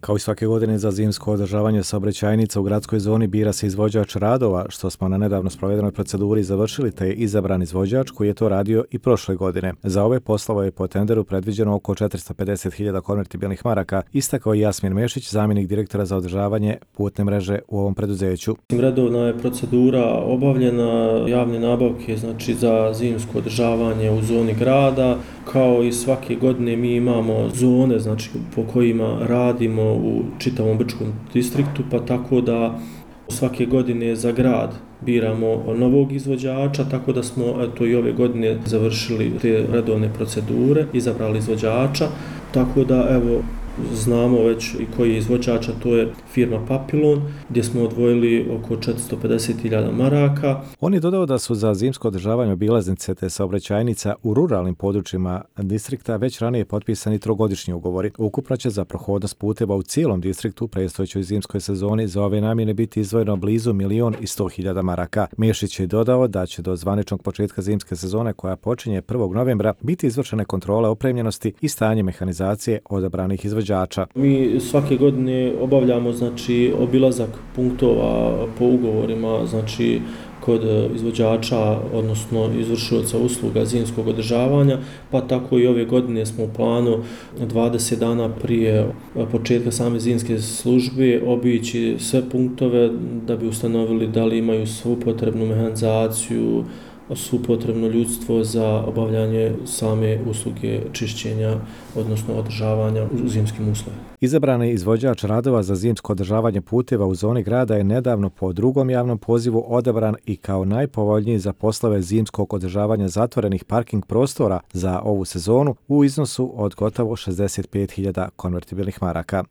Kao i svake godine za zimsko održavanje saobraćajnica u gradskoj zoni bira se izvođač radova, što smo na nedavno sprovedenoj proceduri završili, te je izabran izvođač koji je to radio i prošle godine. Za ove poslove je po tenderu predviđeno oko 450.000 konvertibilnih maraka, istakao je Jasmin Mešić, zamjenik direktora za održavanje putne mreže u ovom preduzeću. Redovna je procedura obavljena javne nabavke, znači za zimsko održavanje u zoni grada. Kao i svake godine mi imamo zone, znači po kojima radimo u čitavom Brčkom distriktu, pa tako da svake godine za grad biramo novog izvođača, tako da smo i ove godine završili te redovne procedure, izabrali izvođača, tako da znamo već i koji je izvođač, a to je firma Papilon, gdje smo odvojili oko 450.000 maraka. On je dodao da su za zimsko održavanje obilaznice te saobraćajnica u ruralnim područjima distrikta već ranije potpisani trogodišnji ugovori. Ukupno će za prohodnost puteva u cijelom distriktu predstojećoj zimskoj sezoni za ove namjene biti izdvojeno blizu 1.100.000 maraka. Mešić je dodao da će do zvaničnog početka zimske sezone, koja počinje 1. novembra, biti izvršene kontrole opremljenosti i stanje mehanizacije odabranih izvođača. Mi svake godine obavljamo obilazak punktova po ugovorima, kod izvođača, odnosno izvršioca usluga zimskog održavanja, pa tako i ove godine smo u planu 20 dana prije početka same zimske službe obići sve punktove da bi ustanovili da li imaju svu potrebnu mehanizaciju, svu potrebno ljudstvo za obavljanje same usluge čišćenja, odnosno održavanja u zimskim uslovima. Izabrani izvođač radova za zimsko održavanje puteva u zoni grada je nedavno po drugom javnom pozivu odabran i kao najpovoljniji za poslove zimskog održavanja zatvorenih parking prostora za ovu sezonu u iznosu od gotovo 65.000 konvertibilnih maraka.